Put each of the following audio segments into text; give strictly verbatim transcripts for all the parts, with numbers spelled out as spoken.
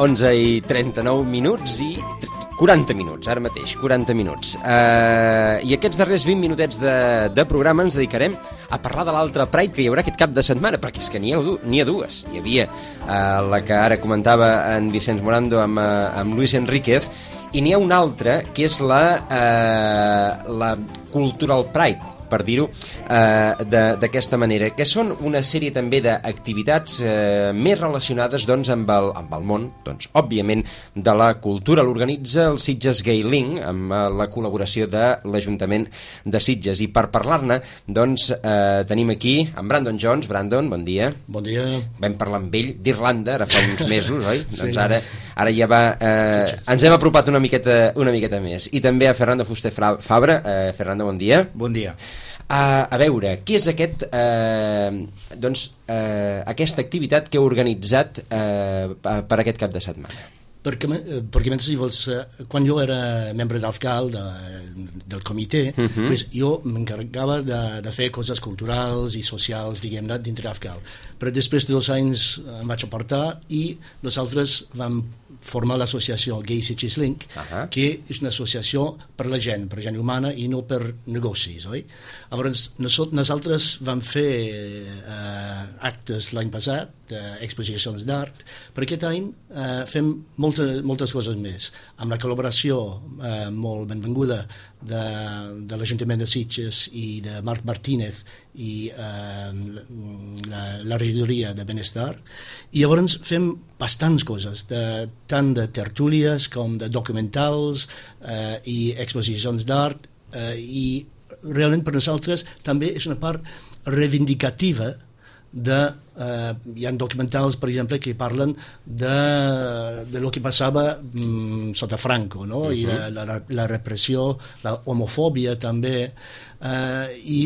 onze i trenta-nou minuts i quaranta minuts, ara mateix, quaranta minuts. Uh, I aquests darrers vint minutets de, de programa ens dedicarem a parlar de l'altre Pride que hi haurà aquest cap de setmana, perquè és que n'hi ha, n'hi ha dues. Hi havia uh, la que ara comentava en Vicenç Morando amb, uh, amb Luis Enríquez, i n'hi ha una altra que és la, uh, la Cultural Pride, per dir-ho eh, d'aquesta manera, que són una sèrie també d'activitats eh, més relacionades doncs, amb, el, amb el món, doncs, òbviament, de la cultura. L'organitza el Sitges Gay Link, amb eh, la col·laboració de l'Ajuntament de Sitges. I per parlar-ne, doncs, eh, tenim aquí en Brandon Jones. Brandon, bon dia. Bon dia. Vam parlar amb ell d'Irlanda, ara fa uns mesos, oi? Sí, doncs ara, ara ja va... Eh, ens hem apropat una miqueta, una miqueta més. I també a Fernando Fuster Fabra. Eh, Fernando, bon dia. Bon dia. Uh, a veure, què és aquest, uh, doncs, uh, aquesta activitat que heu organitzat uh, per aquest cap de setmana? Perquè, perquè si vols, quan jo era membre d'Afgal, de, del comitè, uh-huh. pues jo m'encarregava de, de fer coses culturals i socials, diguem-ne, dintre d'Afgal. Però després de dos anys em vaig apartar i nosaltres vam formar l'associació Gay Sitges Link, uh-huh. que és una associació per la gent, per la gent humana i no per negocis, oi? Llavors, nosaltres vam fer eh, actes l'any passat, eh, exposicions d'art, per aquest any eh, fem molta, moltes coses més, amb la col·laboració eh, molt benvinguda de, de l'Ajuntament de Sitges i de Marc Martínez i eh, la, la regidoria de Benestar, i llavors fem bastants coses, de, tant de tertúlies com de documentals eh, i exposicions d'art, eh, i realment per nosaltres també és una part reivindicativa de, eh, hi ha documentals, per exemple, que parlen de, de lo que passava mm, sota Franco, no? Uh-huh. I la, la, la repressió, la homofòbia també, eh, i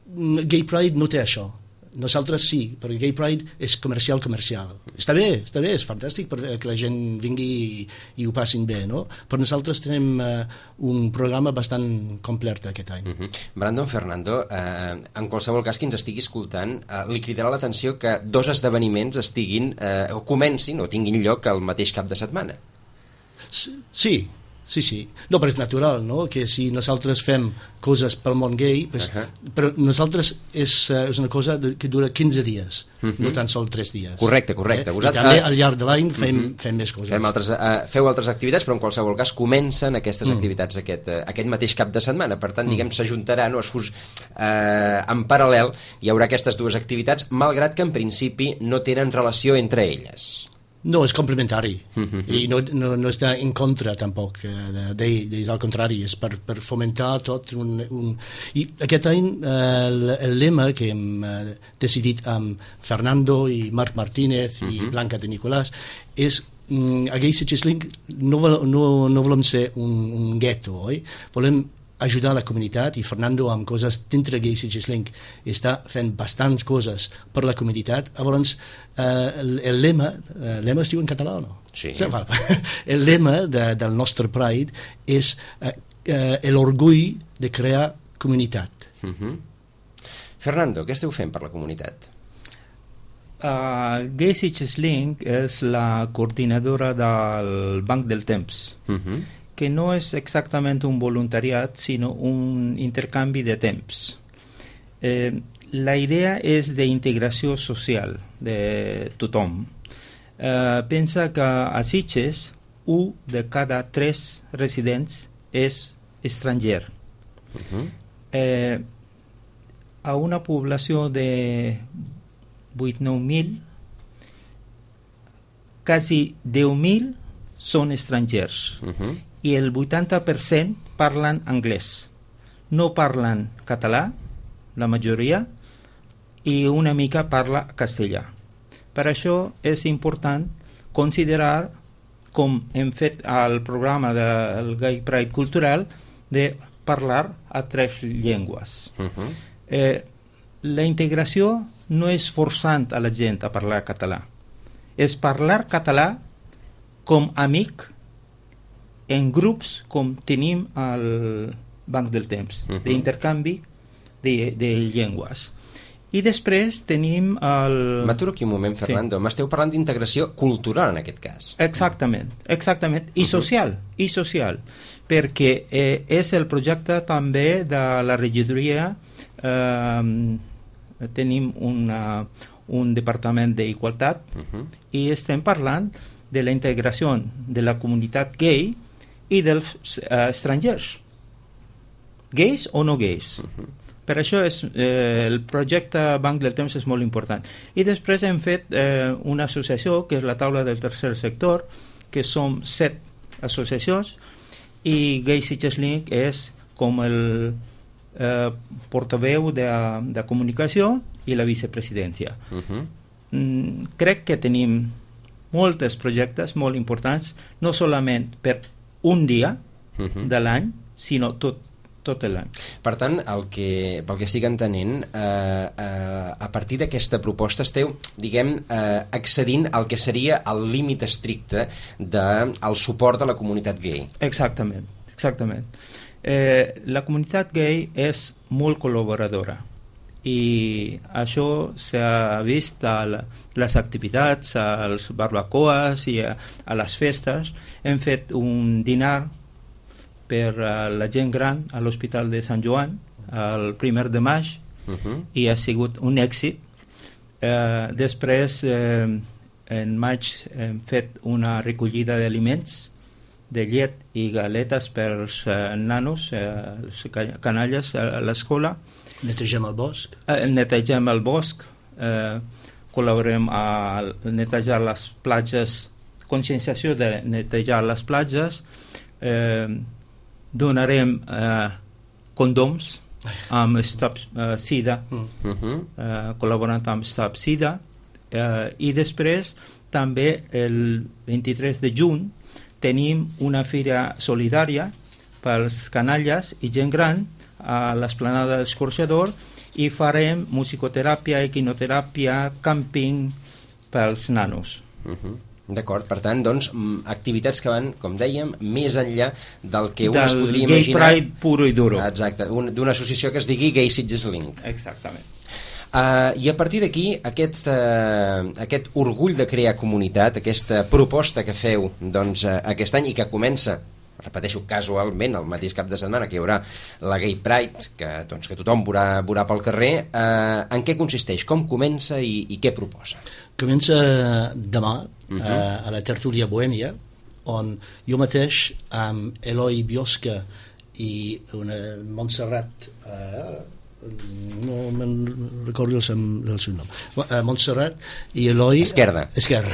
Gay Pride no té això. Nosaltres sí, perquè Gay Pride és comercial, comercial. Està bé, està bé, és fantàstic perquè la gent vingui i, i ho passin bé, no? Però nosaltres tenim uh, un programa bastant complet aquest any. Uh-huh. Brandon, Fernando, eh, en qualsevol cas que ens estigui escoltant, eh, li cridarà l'atenció que dos esdeveniments estiguin, eh, o comencin o tinguin lloc el mateix cap de setmana. Sí, sí, sí. No, però és natural, no?, que si nosaltres fem coses pel món gay, pues, uh-huh. però nosaltres és, uh, és una cosa de, que dura quinze dies, uh-huh. no tan sol tres dies. Correcte, correcte. Eh? I també al llarg de l'any fem, uh-huh. fem més coses. Fem altres, uh, feu altres activitats, però en qualsevol cas comencen aquestes uh-huh. activitats aquest, uh, aquest mateix cap de setmana. Per tant, uh-huh. diguem, s'ajuntaran o es fus, uh, en paral·lel hi haurà aquestes dues activitats, malgrat que en principi no tenen relació entre elles. No, és complementari, uh-huh. i no, no, no està en contra tampoc d'ells, al contrari, és per, per fomentar tot un, un... I aquest any eh, el, el lema que hem eh, decidit amb Fernando i Marc Martínez uh-huh. i Blanca de Nicolàs és mm, a Gay Sitges Link no, no, no volem ser un, un gueto, oi? Volem ajudar la comunitat, i Fernando amb coses dintre Gay Sitges Link està fent bastants coses per la comunitat. Llavors eh, el, el lema el lema es diu en català o no? Sí. El lema de, del nostre Pride és eh, eh, l'orgull de crear comunitat. Uh-huh. Fernando, què esteu fent per la comunitat? Uh, Gay Sitges Link és la coordinadora del Banc del Temps. Uh-huh. Que no és exactament un voluntariat, sinó un intercanvi de temps. Eh, la idea és d'integració social de tothom. Eh, pensa que a Sitges, un de cada tres residents és estranger. Uh-huh. eh, a una població de vuit nou mil, quasi deu mil són estrangers. Uh-huh. I el vuitanta per cent parlen anglès. No parlen català, la majoria, i una mica parla castellà. Per això és important considerar, com hem fet al programa del Gay Pride Cultural, de parlar a tres llengües. Uh-huh. eh, la integració no és forçant a la gent a parlar català. És parlar català com amic en grups com tenim al Banc del Temps, uh-huh. d'intercanvi de, de llengües. I després tenim el... M'aturo aquí un moment, Fernando. Sí. M'esteu parlant d'integració cultural en aquest cas. Exactament, exactament. I social, uh-huh. i social. Perquè eh, és el projecte també de la regidoria. Eh, tenim una, un departament d'igualtat uh-huh. i estem parlant de la integració de la comunitat gay i dels eh, estrangers. Gais o no gais. Uh-huh. Per això és, eh, el projecte Banc del Temps és molt important. I després hem fet eh, una associació, que és la taula del tercer sector, que som set associacions, i Gay Sitges Link és com el eh, portaveu de, de comunicació i la vicepresidència. Uh-huh. Mm, crec que tenim molts projectes molt importants, no solament per un dia uh-huh. de l'any, sinó tot tot l'any. Per tant, el que, pel que estic entenent, eh, eh, a partir d'aquesta proposta esteu, diguem, eh, accedint al que seria el límit estricte del de, suport a la comunitat gay. Exactament, exactament. Eh, la comunitat gay és molt col·laboradora i això s'ha vist a la, les activitats, als barbacoes i a, a les festes. Hem fet un dinar per uh, la gent gran a l'Hospital de Sant Joan el primer de maig uh-huh. i ha sigut un èxit. Uh, després uh, en maig hem fet una recollida d'aliments, de llet i galetes per als uh, nanos, uh, els canalles a l'escola. Netegem el bosc. Uh, netegem el bosc, uh, col·laborem a netejar les platges, conscienciació de netejar les platges, uh, donarem eh, condoms amb Stop uh, Sida, uh-huh. eh, col·laborant amb Stop Sida, eh, i després també el vint-i-tres de juny tenim una fira solidària pels canalles i gent gran a l'esplanada d'Escorxador i farem musicoteràpia, equinoteràpia, càmping pels nanos. Uh-huh. D'acord, per tant, doncs, activitats que van, com dèiem, més enllà del que un es podria gay imaginar... Gay Pride puro i duro. Exacte, un, d'una associació que es digui Gay Sitges Link. Exactament. Uh, I a partir d'aquí, aquest, uh, aquest orgull de crear comunitat, aquesta proposta que feu doncs, uh, aquest any i que comença, repeteixo, casualment, el mateix cap de setmana que hi haurà la Gay Pride, que, doncs, que tothom veurà, veurà pel carrer, uh, en què consisteix, com comença i, i què proposa? Comença demà uh-huh. uh, a la tertúlia Bohèmia, on jo mateix amb Eloi Biosca i una Montserrat uh, no me'n recordo el, el seu nom uh, Montserrat i Eloi Esquerda, Esquerra.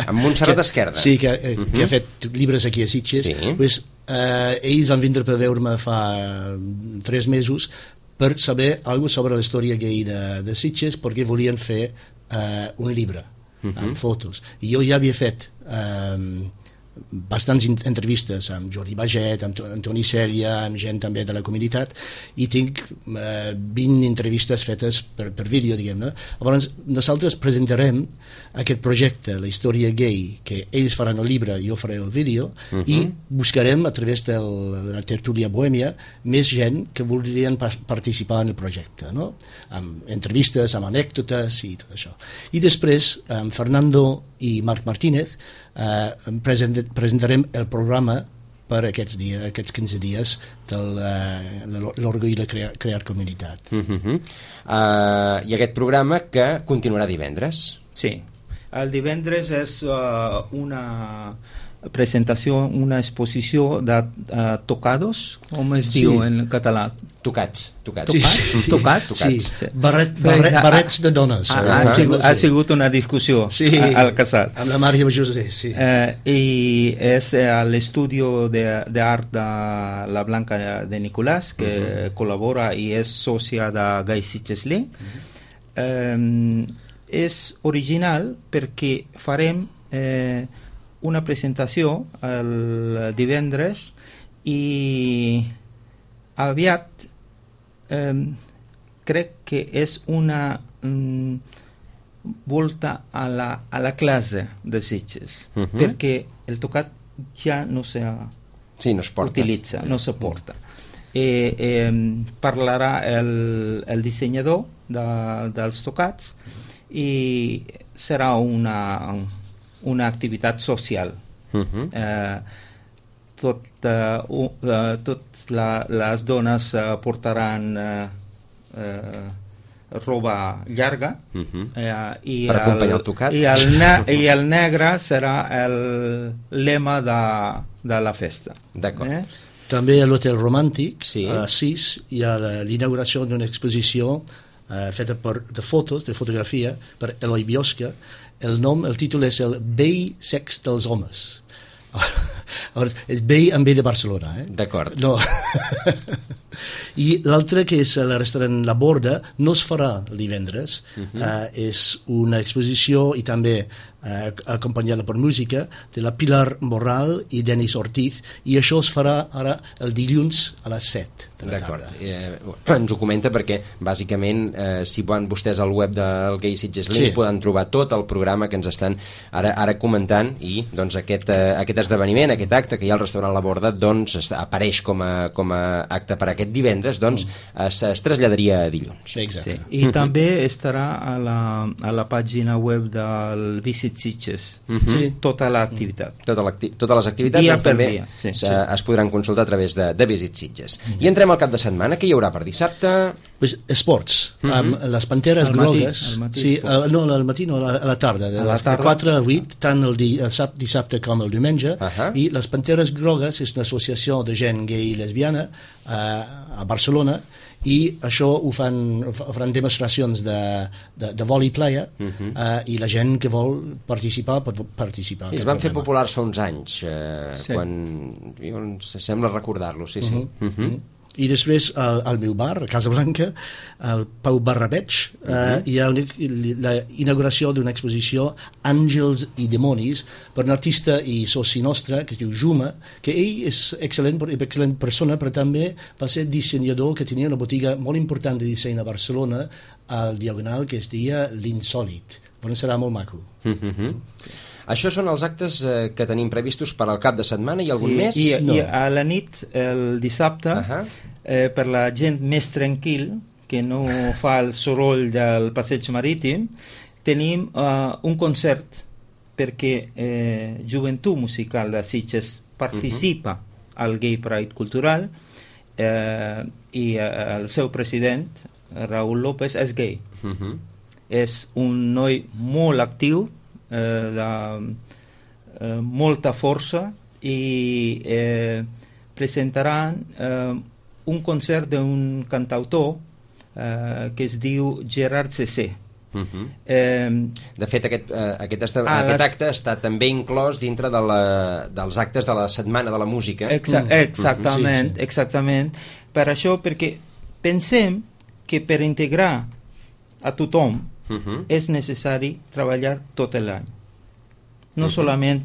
amb Montserrat Esquerda, sí, que, uh-huh. que ha fet llibres aquí a Sitges, sí. pues, uh, ells van vindre per veure-me fa tres mesos per saber alguna sobre la història gay de, de Sitges, perquè volien fer uh, un llibre uh-huh. amb fotos, i jo ja havia fet um, bastants entrevistes amb Jordi Baget, amb Antoni Cèlia, amb gent també de la comunitat, i tinc eh, vint entrevistes fetes per, per vídeo, diguem-ne. Llavors, nosaltres presentarem aquest projecte, la història gay, que ells faran el llibre i jo faré el vídeo, uh-huh. i buscarem a través de la tertúlia Bohèmia més gent que voldrien pa- participar en el projecte, no? Amb entrevistes, amb anècdotes i tot això. I després, amb Fernando i Marc Martínez, Uh, present, presentarem el programa per aquests dies, aquests quinze dies de l'orgull de crear, crear comunitat. Uh-huh. Uh, I aquest programa que continuarà divendres? Sí, el divendres és uh, una presentació, una exposició de uh, tocados, com es sí. diu en català? Tocats. Tocats. Sí, sí. Tocats? Sí. sí. Barret, barret, barrets de dones. Ha, ha, ha, sigut, ha sigut una discussió sí. al casal. Amb la Maria José, sí. Eh, I és a l'estudi d'art de la Blanca de Nicolàs, que uh-huh. col·labora i és sòcia de Gay Sitges Link. Uh-huh. Eh, és original perquè farem eh, una presentació el divendres i aviat eh, crec que és una mm, volta a la, a la classe de Sitges, uh-huh. perquè el tocat ja no se sí, no es porta. utilitza, no se porta. eh, eh, parlarà el, el dissenyador de, dels tocats i serà una, una activitat social. Uh-huh. eh, tot, uh, uh, tot la, les dones uh, portaran uh, uh, roba llarga, uh-huh. eh, i, per acompanyar el, el tocat, i, el ne i el negre serà el lema de, de la festa. D'acord. Eh? També a l'Hotel Romàntic, sí. a les sis, hi ha l'inauguració d'una exposició eh, feta per, de fotos, de fotografia, per Eloi Biosca. El nom, el títol és el Vell sex dels homes. És Vell amb B de Barcelona. Eh? D'acord. No. I l'altre, que és el restaurant La Borda, no es farà el divendres. Uh-huh. eh, és una exposició i també eh, acompanyada per música de la Pilar Morral i Denis Ortiz, i això es farà ara el dilluns a les set de la D'acord. tarda. Eh, ens ho comenta perquè bàsicament eh, si van vostès al web del Gay Sitges Link sí. poden trobar tot el programa que ens estan ara, ara comentant, i doncs aquest, eh, aquest esdeveniment, aquest acte que hi ha al restaurant La Borda, doncs es, apareix com a, com a acte per aquest divendres, doncs mm. es, es traslladaria a dilluns. Sí, exacte. Sí. I també estarà a la, a la pàgina web del Visit Sitges, uh-huh. sí. tota l'activitat. Tota totes les activitats dia doncs, per també dia, sí. es, es podran consultar a través de, de Visit Sitges. Mm. I entrem al cap de setmana. Què hi haurà per dissabte? Pues, esports. Mm-hmm. Amb les Panteres al matí, Grogues. al matí Sí, al, no, al matí no, a la, a la tarda. De, a la tarda. de quatre a vuit, tant el, di, el sap, dissabte com el diumenge. Uh-huh. I les Panteres Grogues és una associació de gent gay i lesbiana eh, a Barcelona, i això ho fan, faran demostracions de, de, de vòlei playa, uh-huh. eh, i la gent que vol participar pot participar. I es van fer populars fa uns anys, eh, sí. quan jo em sembla recordar-lo, sí, sí. Uh-huh. Uh-huh. Uh-huh. I després al, al meu bar, a Casa Blanca, al Pau Barrabeig, uh-huh. eh, hi ha una, la inauguració d'una exposició Àngels i Demonis per un artista i soci nostre que es diu Juma, que ell és excel·lent, excel·lent persona, però també va ser dissenyador, que tenia una botiga molt important de disseny a Barcelona, al Diagonal, que es deia L'Insòlit. Però serà molt maco. Uh-huh. Sí. Això són els actes eh, que tenim previstos per al cap de setmana. I algun I, més? I, No. I a la nit, el dissabte, Uh-huh. eh, per la gent més tranquil, que no fa el soroll del passeig marítim, tenim uh, un concert perquè eh, Joventut Musical de Sitges participa uh-huh. al Gay Pride Cultural, eh, i eh, el seu president, Raúl López, és gay. Uh-huh. És un noi molt actiu, eh, de eh, molta força, i eh, presentaran eh, un concert d'un cantautor eh, que es diu Gerard Cessé. Uh-huh. eh, De fet, aquest, eh, aquest, esta, Ah, aquest les- acte està també inclòs dintre de la, dels actes de la Setmana de la Música. exa exactament, Sí, sí. exactament. Per això, perquè pensem que per integrar a tothom Uh-huh. és necessari treballar tot l'any. No Uh-huh. solament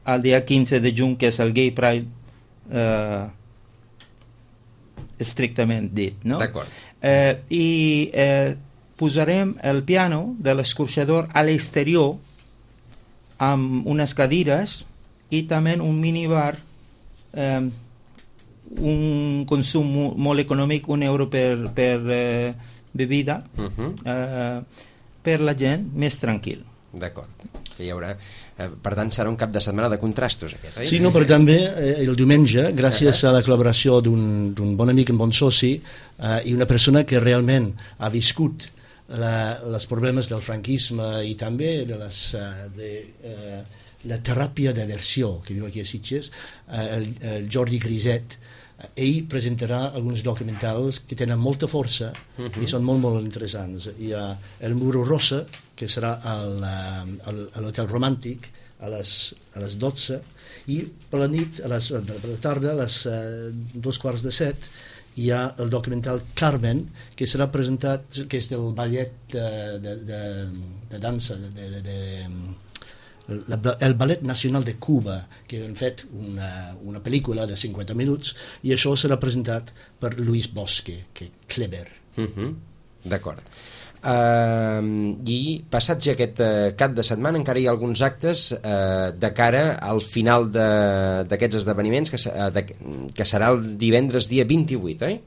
el dia quinze de juny, que és el Gay Pride eh, estrictament dit, no? D'acord. Eh, I eh, posarem el piano de l'escorxador a l'exterior amb unes cadires i també un minibar, eh, un consum mo molt econòmic, un euro per, per eh, bebida, Uh-huh. eh, per la gent més tranquil. D'acord. Hi haurà... Eh, per tant, serà un cap de setmana de contrastos, aquest, oi? Sí, no, però també eh, el diumenge, gràcies a la col·laboració d'un bon amic, un bon soci, eh, i una persona que realment ha viscut la, els problemes del franquisme i també de, les, uh, de uh, la teràpia d'aversió que viu aquí a Sitges, uh, el, el Jordi Griset, ell presentarà alguns documentals que tenen molta força uh-huh. i són molt, molt interessants. Hi ha El Muro Rosa, que serà al, al, a l'Hotel Romàntic a les, a les dotze, i per la nit, a les, per la tarda, a les uh, dos quarts de set, hi ha el documental Carmen, que serà presentat, que és del ballet de, de, de, de dansa, de, de, de La, el Ballet Nacional de Cuba, que han fet una, una pel·lícula de cinquanta minuts, i això serà presentat per Luis Bosque, que clever. Uh-huh. D'acord. Uh, I passat ja aquest uh, cap de setmana encara hi ha alguns actes uh, de cara al final d'aquests esdeveniments que, uh, de, que serà el divendres dia vint-i-vuit, oi?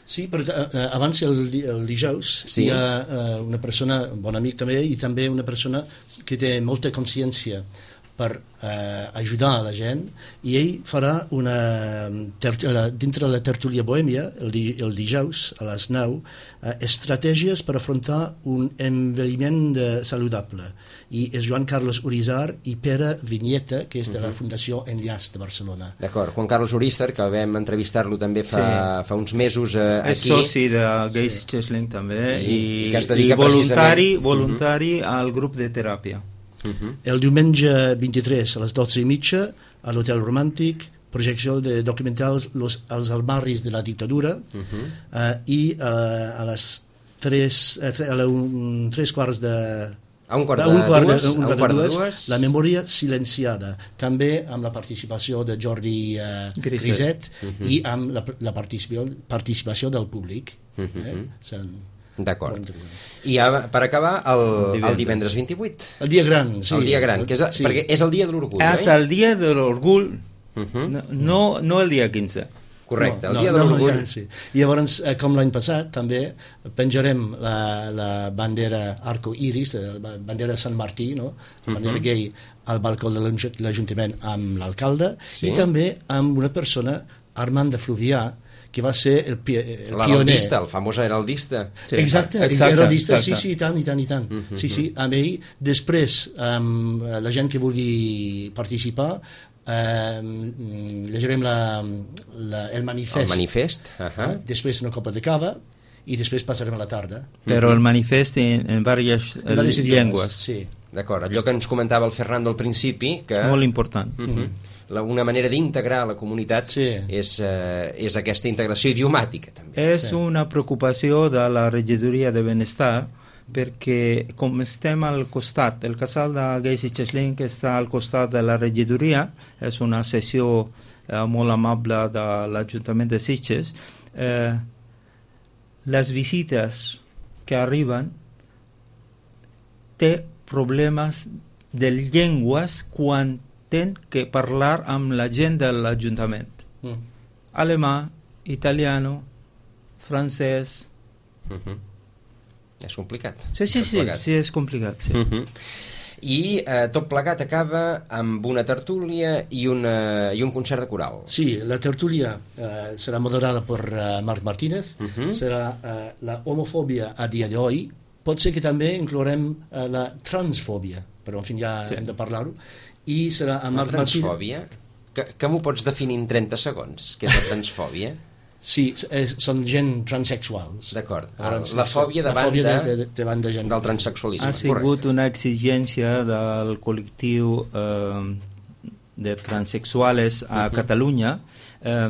Sí, però uh, abans el, el dijous sí. Hi ha uh, una persona, un bon amic també, i també una persona que té molta consciència per eh, ajudar a la gent, i ell farà una dintre la tertúlia bohèmia el, di, el dijous a les nou eh, estratègies per afrontar un envelliment de, saludable, i és Joan Carlos Urizar i Pere Vinyeta, que és de la Fundació Enllaç de Barcelona. D'acord, Juan Carlos Urizar, que vam entrevistar-lo també fa, sí. fa uns mesos eh, és aquí. És soci de Gays Cheslin també, i, i, i, que es dedica i voluntari, precisament... voluntari uh-huh. al grup de teràpia. Uh-huh. El diumenge vint-i-tres a les dotze i mitja a l'Hotel Romàntic, projecció de documentals los, Els almarris de la dictadura, uh-huh. uh, i uh, a les tres, uh, a la un, tres quarts de a un quart de, un quart de, dues, un un quart de dues, dues, la memòria silenciada, també amb la participació de Jordi uh, Griset, Griset uh-huh. i amb la, la participació, participació del públic. Uh-huh. eh? Sen, D'acord. I ja, per acabar, el, el divendres vint-i-vuit. El dia gran, sí. El dia gran, que és, sí. perquè és el dia de l'orgull, és eh? el dia de l'orgull, uh-huh. no, no, no el dia quinze. Correcte, no, el dia no, de l'orgull. No, ja, sí. I llavors, com l'any passat, també penjarem la, la bandera arco iris, la bandera Sant Martí, no? La bandera uh-huh. gay, al balcó de l'Ajuntament amb l'alcalde, sí. i també amb una persona, Armand de Fluvià, que va ser el, pi el pioner. L'heraldista, el famós heraldista. Sí, exacte, exacte, heraldista, exacte. sí, sí, i tant, i tant, i tant. Uh-huh. Sí, sí, amb ell, després, um, la gent que vulgui participar, um, llegirem la, la, el manifest. El manifest. Uh-huh. eh? Després una copa de cava, i després passarem a la tarda. Però el manifest en, en diverses, en diverses llengües. Sí. D'acord, allò que ens comentava el Fernando al principi, que... És molt important. Uh-huh. La, una manera d'integrar la comunitat sí. és, eh, és aquesta integració idiomàtica també. És sí. una preocupació de la regidoria de benestar, perquè com estem al costat, el casal de Gays i Cheslin, que està al costat de la regidoria, és una sessió eh, molt amable de l'Ajuntament de Sitges, eh, les visites que arriben té problemes de llengües quan ten que parlar amb la gent de l'Ajuntament. Mm. Alemà, italiano, francès... Uh-huh. És complicat. Sí, sí, sí, sí, és complicat. Sí. Uh-huh. I eh, tot plegat acaba amb una tertúlia i, una, i un concert de coral. Sí, la tertúlia eh, serà moderada per uh, Marc Martínez, uh-huh. serà eh, la homofòbia a dia d'avui, pot ser que també inclourem eh, la transfòbia, però en fi ja sí. hem de parlar-ho, i serà a Marc Martínez. La transfòbia? Que, que m'ho pots definir en trenta segons? Què és la transfòbia? Sí, és, són gent transexuals. D'acord. La fòbia davant, de, de, de, de, de gent. Del transexualisme. Ha sigut Correcte. Una exigència del col·lectiu eh, de transexuals a uh-huh. Catalunya. Eh,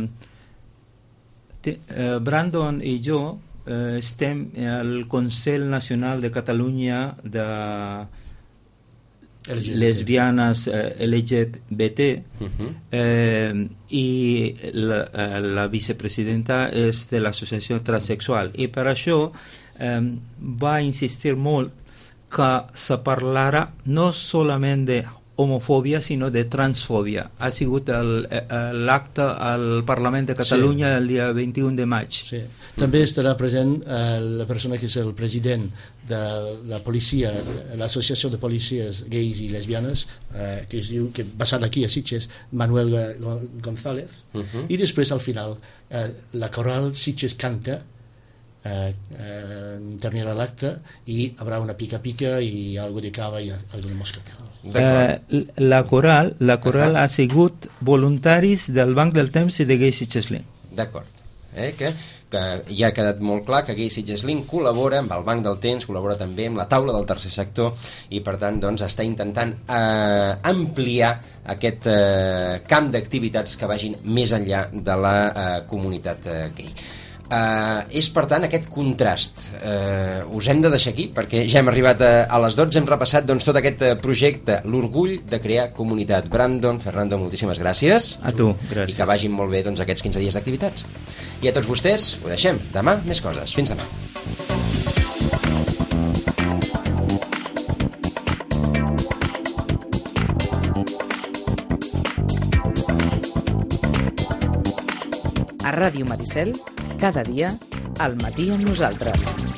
te, eh, Brandon i jo eh, estem al Consell Nacional de Catalunya de L G B T. Lesbianes eh, L G B T uh-huh. eh, i la, eh, la vicepresidenta és de l'associació transsexual, i per això eh, va insistir molt que se parlarà no solament de homofòbia sinó de transfòbia. Ha sigut l'acte al Parlament de Catalunya sí. el dia vint-i-un de maig. Sí. També estarà present eh, la persona que és el president de la policia, l'associació de policies gais i lesbianes, eh, que es diu, que basat aquí a Sitges, Manuel González, uh-huh. i després al final eh, la coral Sitges canta, Eh, eh, terminarà l'acte i hi haurà una pica-pica i algo de cava i algo de moscatel. Eh, la coral, la coral uh-huh. ha sigut voluntaris del Banc del Temps i de Gays i Cheslin. D'acord. Eh, que, que ja ha quedat molt clar que Gays i Cheslin col·labora amb el Banc del Temps, col·labora també amb la taula del tercer sector i per tant doncs, està intentant eh, ampliar aquest eh, camp d'activitats que vagin més enllà de la eh, comunitat eh, gay. Uh, és per tant aquest contrast uh, us hem de deixar aquí perquè ja hem arribat a, a les dotze, hem repassat doncs, tot aquest uh, projecte, l'orgull de crear comunitat. Brandon, Fernando, moltíssimes gràcies a tu, gràcies. I que vagin molt bé doncs, aquests quinze dies d'activitats i a tots vostès ho deixem, demà més coses, fins demà. A Ràdio Maricel, cada dia, al matí amb nosaltres.